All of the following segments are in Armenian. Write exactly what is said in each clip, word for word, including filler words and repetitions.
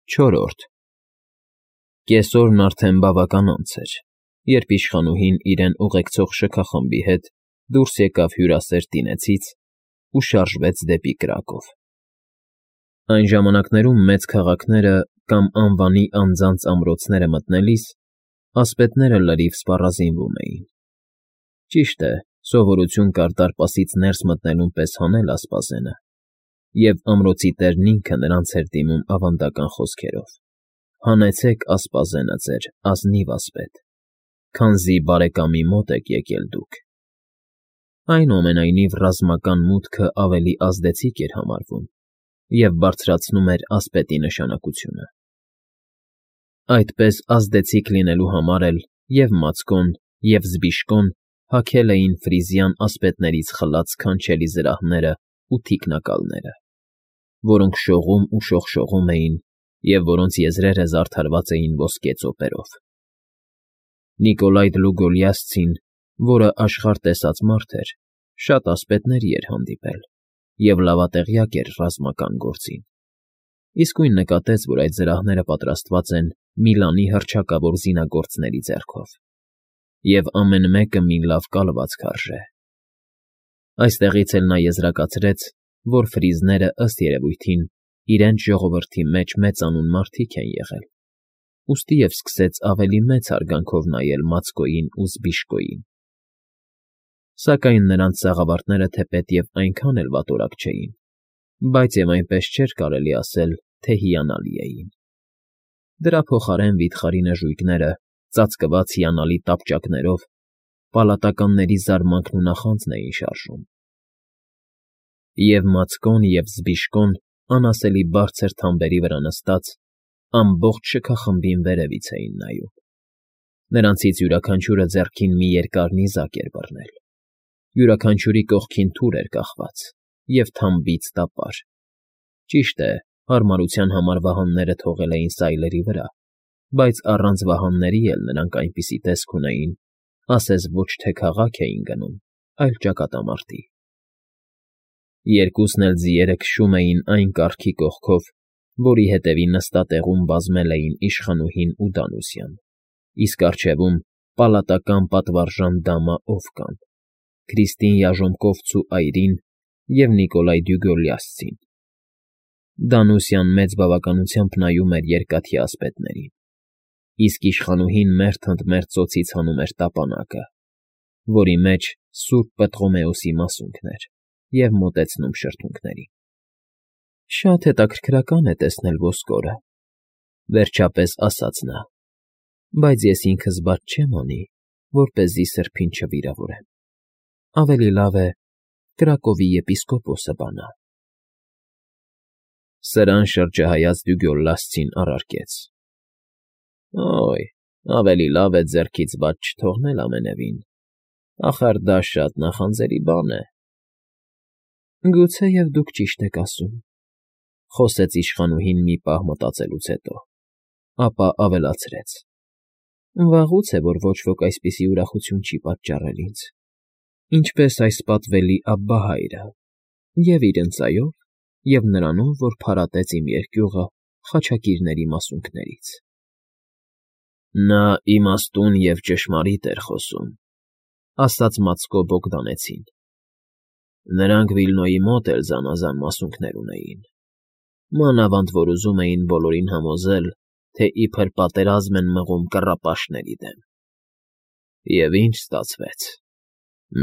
Չորրորդ Կեսօրն արդեն բավական անց էր, երբ իշխանուհին իրեն ուղեկցող շքախմբի հետ դուրս եկավ հյուրասեր տինեցից ու շարժվեց դեպի Կրակով. Այն ժամանակներում մեծ քաղաքները կամ անվանի անձանց ամրոցները մտնելիս ասպետները լրիվ սպառազինվում էին. ճիշտ է, սովորություն կար դարպասից ներս մտնելուն պես հանել ասպազենը, և ամրոցի տերն ինքը նրանց էր դիմում ավանդական խոսքերով. «Հանեցեք ասպազենը ձեր, ազնիվ ասպետ, քանզի բարեկամի մոտ եք եկել դուք»։ Այնուամենայնիվ ռազմական մուտքը ավելի ազդեցիկ էր համարվում և բարձրացնում էր ասպետի նշանակությունը։ Այդպես ազդեցիկ լինելու համար էլ և՛ Մացկոն, և՛ Զբիշկոն հագել էին ֆրիզյան ասպետներից խլած սքանչելի զրահներն ու թիկնակալները, որոնք շողում ու շողշողում էին և որոնց եզրերը զարդարված էին ոսկե ծոպերով։ Նիկոլայ Դլուգոլիասցին, որը աշխարհ տեսած մարդ էր, շատ ասպետների էր հանդիպել և լավատեղյակ էր ռազմական գործին, իսկույն նկատեց, որ այդ զրահները պատրաստված են Միլանի հռչակավոր զինագործների ձեռքով, և ամեն մեկը մի լավ կալվածք արժե։ Այստեղից էլ նա եզրակացրեց, որ ֆրիզները, ըստ երևույթին, իրենց ժողովրդի մեջ մեծանուն մարդիկ են եղել, ուստի և սկսեց ավելի մեծ հարգանքով նայել Մացկոյին ու Զբիշկոյին։ Սակայն նրանց սաղավարտները թեպետև այնքան էլ վատորակ չէին, բայց և այնպես չէր կարելի ասել, թե հիանալի էին։ Դրա փոխարեն վիթխարի նժույգները, ծածկված հիանալի տապճակներով, պալատականների զարմանքն ու նախանձն էին շարժում։ Եվ Մացկոն, և Զբիշկոն անասելի բարձր թամբերի վրա նստած, ամբողջ շքախմբին վերևից էին նայում։ Նրանցից յուրաքանչյուրը ձեռքին մի երկար նիզակ էր բռնել, յուրաքանչյուրի կողքին թուր էր կախված և թամբից տապար։ Ճիշտ է, հարմարության համար վահանները թողել էին սայլերի վրա, բայց առանց վահանների էլ նրանք այնպիսի տեսք ունեին, ասես ոչ թե քաղաք էին գնում, այլ ճակատամարտի։ Երկուսն էլ ձիերը քշում էին այն կառքի կողքով, որի ետևի նստատեղում բազմել էին իշխանուհին ու Դանուսյան, իսկ առջևում պալատական պատվարժան դամա Օվկան, Քրիստին Яժոմկովցն ու այրին և Նիկոլայ Դյուգոլիասցին։ Դանուսյան մեծ բավականությամբ նայում էր երկաթյա ասպետներին, իսկ իշխանուհին մերթ ընդ մերթ ծոցից հանում էր տապանակը, որի մեջ սուրբ Պտղոմեոսի մասունքն էր, և մոտեցնում շրթունքներին։ «Շատ հետաքրքրական է տեսնել ոսկորը,֊ վերջապես ասաց նա,֊ բայց ես ինքս բաց չեմ անի, որպեսզի սրբին չվիրավորեմ։ Ավելի լավ է Կրակովի եպիսկոպոսը բանա»։ Սրան շրջահայաց Դյուգոլլասցին առարկեց. «Օյ, ավելի լավ է ձեռքից բաց չթողնել ամենևին, ախար դա շատ նախանձելի բան է»։ «Գուցեև դուք ճիշտ եք ասում,֊ խոսեց իշխանուհին մի պահ մտածելուց հետո, ապա ավելացրեց,֊ վաղուց է, որ ոչ ոք այսպիսի ուրախություն չի պատճառել ինձ, ինչպես այս պատվելի Աբբահայրը, և՛ իր ընծայով, և՛ նրանով, որ փարատեց իմ երկյուղը խաչակիրների մասունքներից»։ «Նա իմաստուն և ճշմարիտ էր խոսում,֊ ասաց Մացկո Բոգդանեցին,֊ նրանք Վիլնոյի մոտ էլ զանազան մասունքներ ունեին, մանավանդ որ ուզում էին բոլորին համոզել, թե իբր պատերազմ են մղում կռապաշտների դեմ։ Եվ ի՞նչ ստացվեց.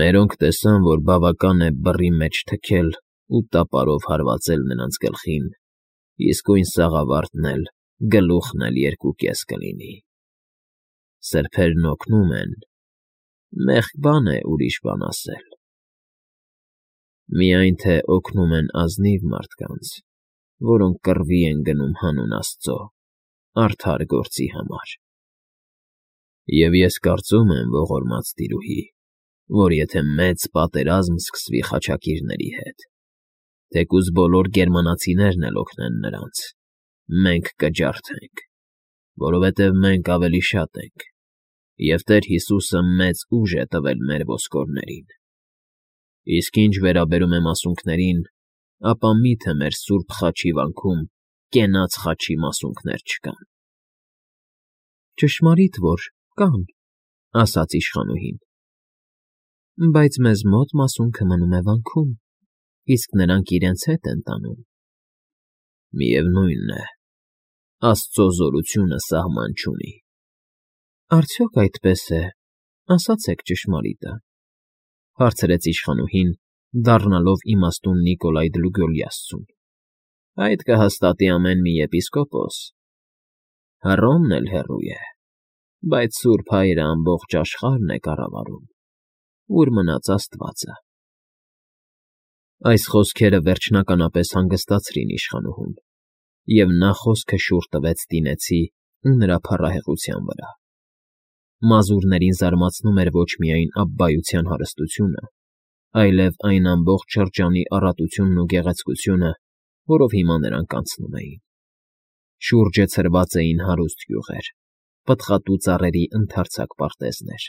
մերոնք տեսան, որ բավական է բռի մեջ թքել ու տապարով հարվածել նրանց գլխին, իսկույն սաղավարտն էլ, գլուխն էլ երկու կես կլինի։ Սրբերն օգնում են, մեղք բան է ուրիշ բան ասել։ Միայն թե օգնում են ազնիվ մարդկանց, որոնք կռվի են գնում հանուն Աստծո, արդար գործի համար։ Եվ ես կարծում եմ, ողորմած տիրուհի, որ եթե մեծ պատերազմ սկսվի խաչակիրների հետ, թեկուզ բոլոր գերմանացիներն էլ օգնեն նրանց, մենք կջարդենք, որովհետև մենք ավելի շատ ենք, և Տեր Հիսուսը մեծ ուժ է տվել մեր ոսկորներին։ Իսկ ինչ վերաբերում է մասունքներին, ապա մի՞թե մեր սուրբ խաչի վանքում կենաց խաչի մասունքներ չկան։ ֊ Ճշմարիտ որ կան,֊ ասաց իշխանուհին,֊ բայց մեզ մոտ մասունքը մնում է վանքում, իսկ նրանք իրենց հետ են տանում։ ֊ Միևնույն է, աստծո զորությունը սահման չունի։ ֊ Արդյոք այդպես է, ասացեք ճշմարիտը,֊ հարցրեց իշխանուհին, դառնալով իմաստուն Նիկոլայ Դլուգոլիասցուն։ ֊ Այդ կհաստատի ամեն մի եպիսկոպոս։ Հռոմն էլ հեռու է, բայց Սուրբ Հայրը ամբողջ աշխարհն է կառավարում, ուր մնաց Աստվածը։ Այս խոսքերը վերջնականապես հանգստացրին իշխանուհուն, և նա խոսքը շուռ տվեց տինեցի ու նրա փառահեղության վրա։ Մազուրներին զարմացնում էր ոչ միայն Աբբայության հարստությունը, այլև այն ամբողջ շրջանի առատությունն ու գեղեցկությունը, որով հիմա նրանք անցնում էին։ Շուրջը ցրված էին հարուստ գյուղեր, պտղատու ծառերի ընդարձակ պարտեզներ,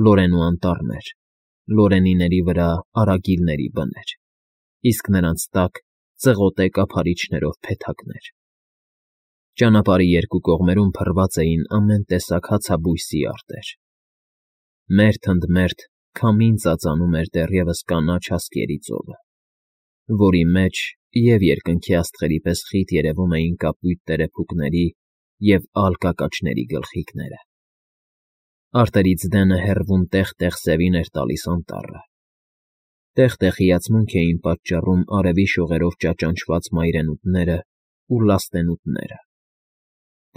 լորեն ու անտառներ, լորենիների վրա արագիլների բներ, իսկ նրանց տակ ծղոտե կափարիչներով փեթակներ։ Ճանապարհի երկու կողմերում փռված էին ամեն տեսակ հացաբույսի արտեր։ Մերթ ընդ մերթ քամին ծածանում էր դեռևս կանաչ հասկերի ծովը, որի մեջ և երկնքի աստղերի պես խիտ երևում էին կապույտ տերեփուկների և ալ կակաչների գլխիկները։ Արտերից դենը հեռվում տեղ֊տեղ սևին էր տալիս անտառը։ Տեղ֊տեղ հիացմունք էին պատճառում արևի շողերով ճաճանչված մայրենուտներն ու լաստենուտները,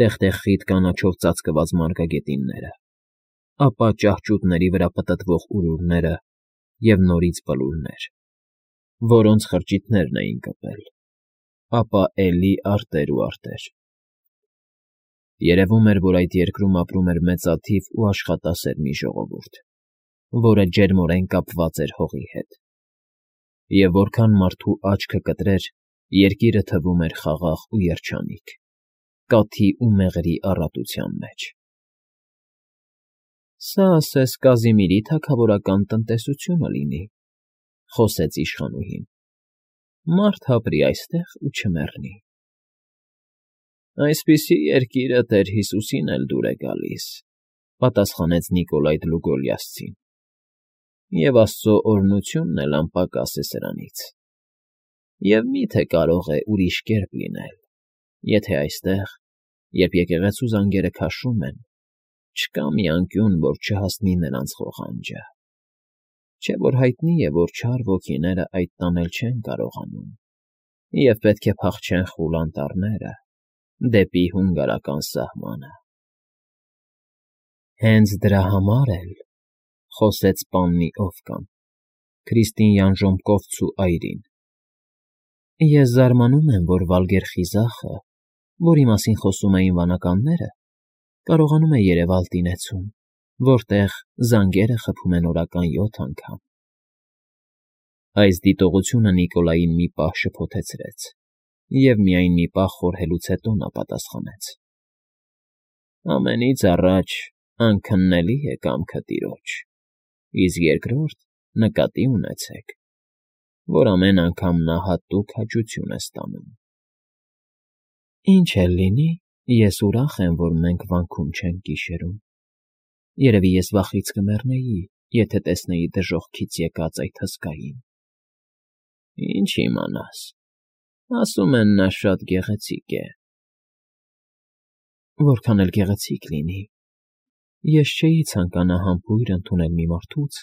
տեղ֊տեղ խիտ կանաչով ծածկված մարգագետինները, ապա ճահճուտների վրա պտտվող ուրուրները և նորից բլուրներ, որոնց խրճիթներն էին կպել, ապա էլի արտեր ու արտեր։ Երևում էր, որ այդ երկրում ապրում էր մեծաթիվ ու աշխատասեր մի ժողովուրդ, որը ջերմորեն կապված էր հողի հետ, և որքան մարդու աչքը կտրեր, երկիրը թվում էր խաղաղ ու երջանիկ, կաթի ու մեղրի առատության մեջ։ ֊ Սա ասես Կազիմիրի թագավորական տնտեսությունը լինի,֊ խոսեց իշխանուհին,֊ մարդ ապրի այստեղ ու չմեռնի։ ֊ Այսպիսի երկիրը Տեր Հիսուսին էլ դուր է գալիս,֊ պատասխանեց Նիկոլայ Դլուգոլիասցին,֊ և աստծո օրհնությունն էլ անպակաս է սրանից։ Եվ մի՞թե կարող է ուրիշ կերպ լինել, եթե այստեղ, երբ եկեղեցու զանգերը քաշում են, չկա մի անկյուն, որ չհասնի նրանց ղողանջը։ Չէ՞ որ հայտնի է, որ չար ոգիները այդ տանել չեն կարողանում և պետք է փախչեն խուլ անտառները, դեպի հունգարական սահմանը։ ֊ Հենց դրա համար էլ,֊ խոսեց պաննի Օվկան, քրիստինյան ժոմկովցու այրին,֊ ես զարմանում եմ, որ Վալգեր խիզախը, որի մասին խոսում էին վանականները, կարողանում է երևալ տինեցում, որտեղ զանգերը խփում են օրական յոթ անգամ։ Այս դիտողությունը Նիկոլային մի պահ շփոթեցրեց, և միայն մի պահ խորհելուց հետո նա պատասխանեց. ֊ Ամենից առաջ անքննելի է կամքը տիրոջ, իսկ երկրորդ նկատի ունեցեք, որ ամեն անգամ նա հատուկ հաճություն է ստանում։ ֊ Ինչ էլ լինի, ես ուրախ եմ, որ մենք վանքում չենք գիշերում։ Երևի ես վախից կմեռնեի, եթե տեսնեի դժոխքից եկած այդ հսկային։ ֊ Ինչ իմանաս, ասում են նա շատ գեղեցիկ է։ ֊ Որքան էլ գեղեցիկ լինի, ես չէի ցանկանա համբույր ընդունել մի մարդուց,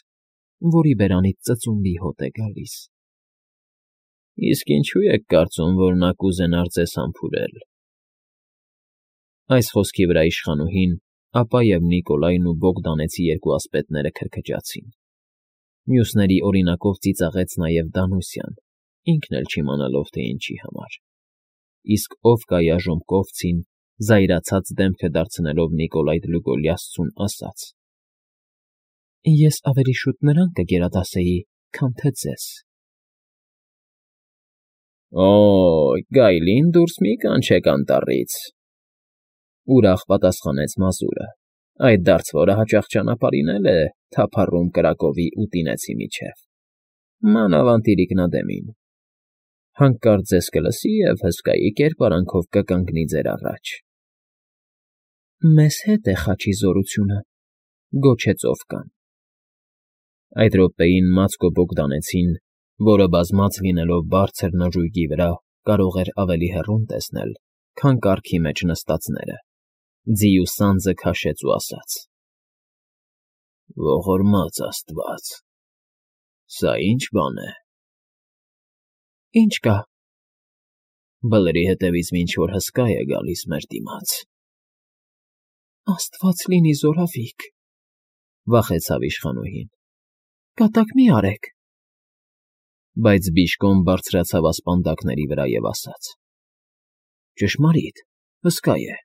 որի բերանից ծծումբի հոտ է գալիս։ ֊ Իսկ ինչո՞ւ եք կարծում, որ նա կուզենար ձեզ համբուրել։ Այս խոսքի վրա իշխանուհին, ապա և Նիկոլայն ու Բոգդանեցի երկու ասպետները քրքջացին։ Մյուսների օրինակով ծիծաղեց նաև Դանուսյան, ինքն էլ չիմանալով, թե ինչի համար։ Իսկ Օվկայա Ժոմկովցին, զայրացած դեմքը դարձնելով Նիկոլայ Դլուգոլիասցուն, ասաց. ֊ Ես ավելի շուտ նրան կգերադասեի, քան թե ձեզ։ ֊ Օ՜, գայլին դուրս մի՛ կանչեք անտառից,֊ ուրախ պատասխանեց մազուրը, այդ դարձվորը հաճախ ճանապարհին է թափառում կրակովի ու տինեցի միջև, մանավանդ իրիկնադեմին։ Հանկարծ ձեզ կլսի և հսկայի կերպարանքով կկանգնի ձեր առաջ։ ֊ Մեզ հետ է խաչի զորությունը,֊ գոչեց Օվկան։ Այդ րոպեին Մացկո Բոգդանեցին, որը բազմած լինելով բարձր նժույգի վրա, կարող էր ավելի հեռուն տեսնել, քան կառքի մեջ նստածները, ձիու սանձը քաշեց ու ասաց. «Ողորմած աստված… Սա ի՞նչ բան է»։ ֊ Ինչ կա։ ֊ Բլրի հետևից ինչ֊որ հսկա է գալիս մեր դիմաց։ ֊ Աստված լինի զորավիկ,֊ վախեցավ իշխանուհին,֊ կատակ մի արեք։ Բայց Բիժկոն բարձրացավ ասպանդակների վրա և ասաց. «Ճշմարիտ, հսկա է,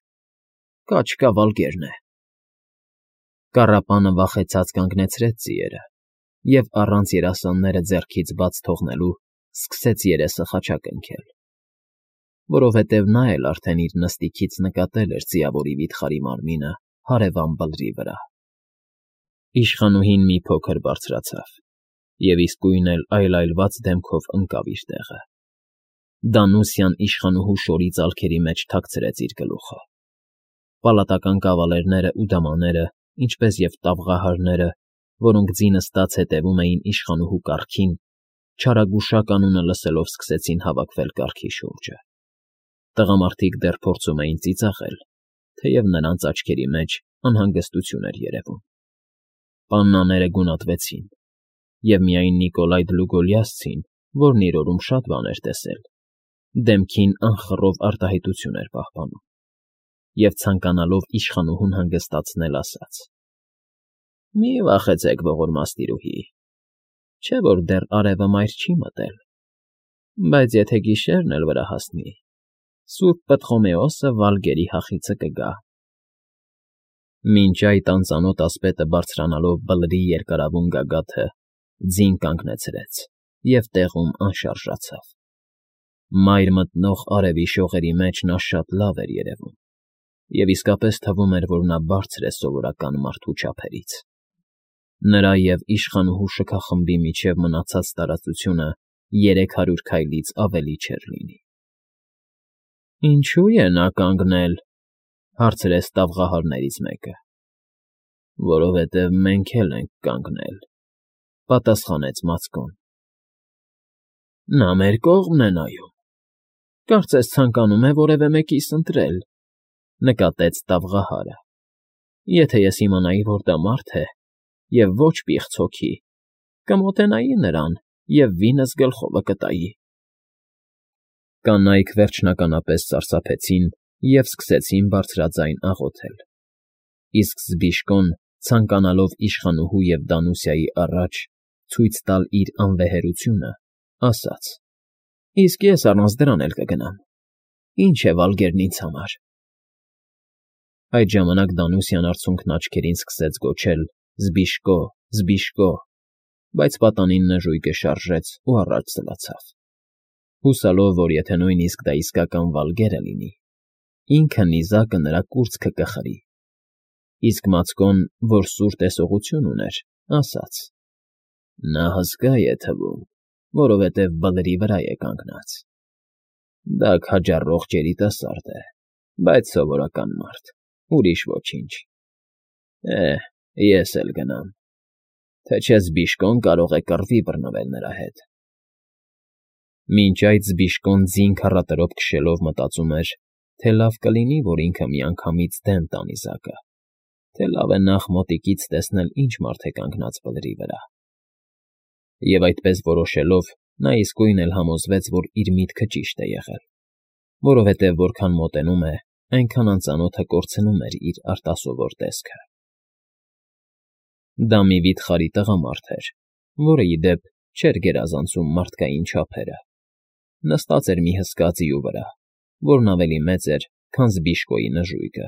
կա չկա վալկերն է»։ Կառապանը վախեցած կանգնեցրեց ձիերը և, առանց երասանները ձեռքից բաց թողնելու, սկսեց երեսը խաչակնքել, որովհետև նա էլ արդեն իր նստիքից նկատել էր ձիավորի վիթխարի մարմինը հարևան բլրի վրա։ Իշխանուհին մի փոքր բարձրացավ և իսկույն էլ այլայլված դեմքով ընկավ իր տեղը։ Դանուսյան իշխանուհու շորի ծալքերի մեջ թաքցրեց իր գլուխը։ Պալատական կավալերներն ու դամաները, ինչպես և տավղահարները, որոնք ձի նստած հետևում էին իշխանուհու կառքին, չարագուշակ անունը լսելով սկսեցին հավաքվել կառքի շուրջը։ Տղամարդիկ դեռ փորձում էին ծիծաղել, թեև նրանց աչքերի մեջ անհանգստություն էր երևում։ Պաննաները գունատվեցին, և միայն Նիկոլայ Դլուգոլիասցին, որն իր օրում շատ բան էր տեսել, դեմքին անխռով արտահայտություն էր պահպանում, և ցանկանալով իշխանուհուն հանգստացնել, ասաց. «Մի վախեցեք, ողորմած տիրուհի, չէ՞ որ դեռ արևը մայր չի մտել, բայց եթե գիշերն էլ վրա հասնի, սուրբ Պտղոմեոսը Վալգերի հախիցը կգա»։ Մինչ այդ անծանոթ ասպետը բարձրանալով Բլրի երկարավուն գագաթը, ձին կանգնեցրեց և տեղում անշարժացավ։ Մայր մտնող արևի շողերի մեջ նա շատ լավ էր երևում, և իսկապես թվում էր, որ նա բարձր է սովորական մարդու չափերից։ Նրա և իշխանուհու շքախմբի միջև մնացած տարածությունը երեք հարյուր քայլից ավելի չէր լինի։ ֊ Ինչո՞ւ է նա կանգնել,֊ հարցրեց տավղահարներից մեկը։ ֊ Որովհետև մենք էլ ենք կանգնել,֊ պատասխանեց Մացկոն։ ֊ Նա մեր կողմն է նայում, կարծես ցանկանում է որևէ մեկիս ընտրել,֊ նկատեց տավղահարը։ ֊ Եթե ես իմանայի, որ դա մարդ է և ոչ պիղծ հոգի, կմոտենայի նրան և վինս գլխովը կտայի։ Կանայք վերջնականապես սարսափեցին և սկսեցին բարձրաձայն աղոթել, իսկ Զբիշկոն, ցանկանալով իշխանուհու և Դանուսիայի առաջ ցույց տալ իր անվեհերությունը, ասաց. «Իսկ ես առանց դրան էլ կգնամ, ինչ է Վալգերն ինձ համար»։ Այդ ժամանակ Դանուսյան արցունքն աչքերին սկսեց գոչել. «Զբիշկո, Զբիշկո», բայց պատանին նժույգը շարժեց ու առաջ սլացավ, հուսալով, որ եթե նույնիսկ դա իսկական Վալգերը լինի, ինքը նիզակը նրա կուրծքը կխրի։ Իսկ Մացկոն, որ սուր տեսողություն ուներ, ասաց. «Նա հսկա է թվում, որովհետև Բլրի վրա է կանգնած։ Դա քաջառող երիտասարդ է, բայց սովորական մարդ, ուրիշ ոչինչ։ Է՜, ես էլ գնամ, թե չէ Զբիշկոն կարող է կռվի բռնվել նրա հետ»։ Մինչ այդ Զբիշկոն ձին քառատրոփ քշելով մտածում էր, թե լավ կլինի, որ ինքը միանգամից դեն տա նիզակը, թե լավ է նախ մոտիկից տեսնել ինչ մարդ է կանգնած Բլրի վրա։ Եվ այդպես որոշելով, նա իսկույն էլ համոզվեց, որ իր միտքը ճիշտ է եղել, որովհետև որքան մոտենում է, այնքան անծանոթը կորցնում էր իր արտասովոր տեսքը։ Դա մի վիթխարի տղամարդ էր, որը, ի դեպ, չէր գերազանցում մարդկային չափերը, նստած էր մի հսկա ձիու վրա, որն ավելի մեծ էր, քան Զբիշկոյի նժույգը։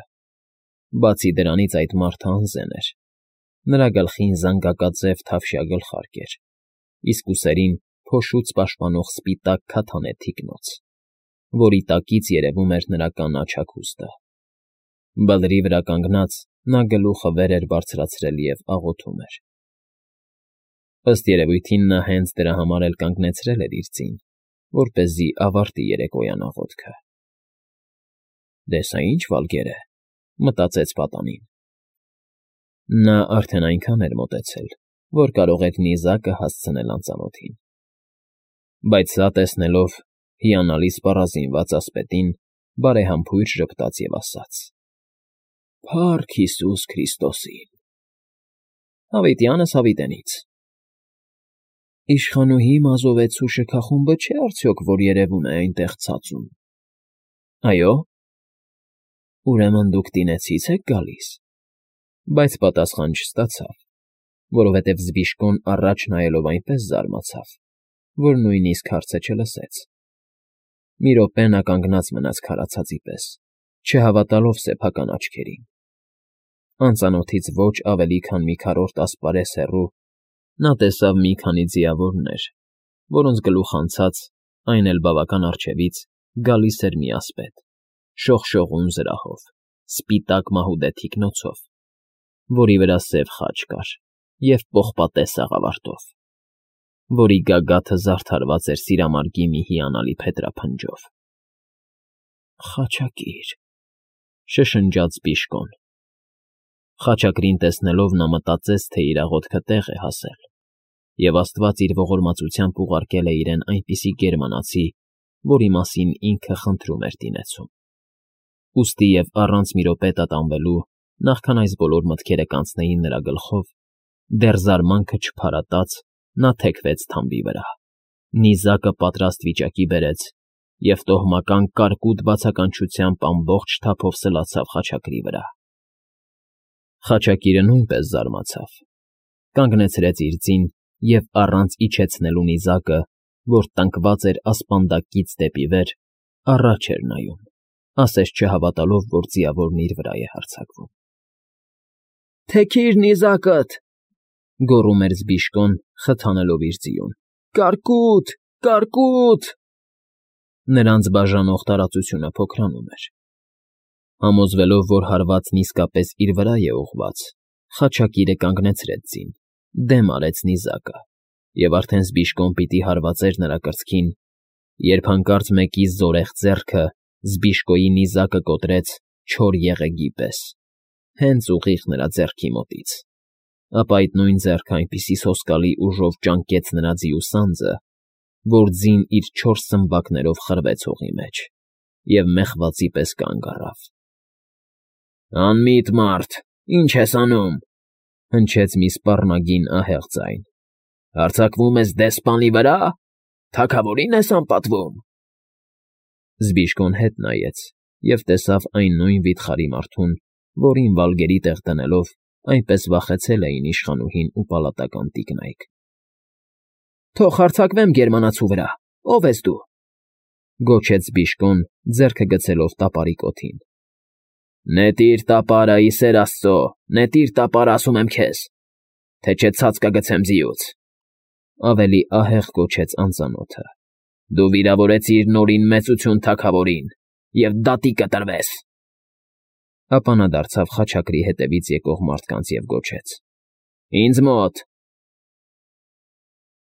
Բացի դրանից այդ մարդը անզեն էր. նրա գլխին զանգակաձև թավշյա գլխարկ էր, իսկ ուսերին փոշուց պաշտպանող սպիտակ քաթան է թիկնոց, որի տակից երևում էր նրա կանաչ հագուստը։ Բլրի վրա կանգնած՝ նա գլուխը վեր էր բարձրացրել և աղոթում էր։ Ըստ երևույթին նա հենց դրա համար էլ կանգնեցրել էր իր ձին, որպեսզի ավարտի երեկոյան աղոթքը։ «Դես սա ինչ վալգեր է», մտածեց պատանին։ Նա արդեն այնքան էր մոտեցել, որ կարող էր նիզակը հասցնել անծանոթին։ Բայց սա տեսնելով, հիանալի սպառազինված ասպետին բարեհամբույր ժպտաց և ասաց. «Փա՜ռք Հիսուս Քրիստոսին»։ «Հավիտյանս հավիտենից»։ «Իշխանուհի Մազովեցու շքախումբը չէ՞ արդյոք, որ երևում է այնտեղ ցածում»։ «Այո»։ «Ուրեմն դուք Տինեցի՞ց եք գալիս»։ Բայց պատասխան չստացավ, որովհետև Զբիշկոն առաջ նայելով այնպես զարմացավ, որ նույնիսկ հարցը չլսեց։ Մի րոպե նա կանգնած մնաց քարացածի պես, չհավատալով սեփական աչքերին։ Անծանոթից ոչ ավելի քան մի քառորդ ասպարեզ հեռու նա տեսավ մի քանի ձիավորներ, որոնց գլուխ անցած, այն էլ բավական առջևից, գալիս էր մի ասպետ, շողշողուն զրահով, սպիտակ մահուդե թիկնոցով, որի վրա սև խաչ կար և պողպատե սաղավարտով, որի գագաթը զարդարված էր սիրամարգի մի հիանալի փետրափնջով։ «Խաչակիր», շշնջաց Բիշկոն։ Խաչակրին տեսնելով նա մտածեց, թե իր աղոթքը տեղ է հասել, և աստված իր ողորմածությամբ ուղարկել է իրեն այնպիսի գերմանացի, որի մասին ինքը խնդրում էր Տինեցում։ Ուստի և առանց մի րոպե տատանվելու, նախքան այս բոլոր մտքերը կանցնեին նրա գլխով, դեռ զարմանքը չփարատած, նա թեքվեց թամբի վրա, նիզակը պատրաստ վիճակի բերեց և տոհմական կարկուտ բացականչությամբ ամբողջ թափով սլացավ խաչակրի վրա։ Խաչակիրը նույնպես զարմացավ, կանգնեցրեց իր ձին և առանց իջեցնելու նիզակը, որ տնկված էր ասպանդակից դեպի վեր, առաջ էր նայում, ասես չհավատալով, որ ձիավորն իր վրա է հարձակվում։ «Թեքիր նիզակդ», գոռում էր Զբիշկոն, խթանելով իր ձիուն։ «Կարկուտ, կարկուտ»։ Նրանց բաժանող տարածությունը փոքրանում էր։ Համոզվելով, որ հարվածն իսկապես իր վրա է ուղղված, խաչակիրը կանգնեցրեց ձին, դեմ արեց նիզակը, և արդեն Զբիշկոն պիտի հարվածեր նրա կրծքին, երբ հանկարծ մեկի զորեղ ձեռքը Զբիշկոյի նիզակը կոտրեց չոր եղեգի պես, հենց ուղիղ նրա ձեռքի մոտից, ապա այդ նույն ձեռքը այնպիսի սոսկալի ուժով ճանկեց նրա ձիու սանձը, որ ձին իր չորս սմբակներով խրվեց հողի մեջ և մեղվածի պես կանգ առավ։ «Անմիտ մարդ, ի՞նչ ես անում», հնչեց մի սպառնագին ահեղ ձայն։ «Հարձակվում ես դեսպանի վրա՞, թագավորի՞ն ես անպատվում»։ Զբիշկոն հետ նայեց և տեսավ այն նույն վիթխարի մարդուն, որին վալգերի տեղ դնելով այնպես վախեցել էին իշխանուհին ու պալատական տիկնայք։ «Թող հարձակվեմ գերմանացու վրա, ո՞վ ես դու», գոչեց Զբիշկոն, ձեռքը գցելով տապարի կոթին։ «Նետիր տապարը, ի սեր Աստծո, նետիր տապարը, ասում եմ քեզ, թե չէ ցած կգցեմ ձիուց», ավելի ահեղ գոչեց անծանոթը։ «Դու վիրավորեցիր Նորին մեծություն թագավորին և դատի կտրվես»։ Ապա նա դարձավ խաչակրի հետևից եկող մարդկանց և գոչեց. «Ինձ մոտ,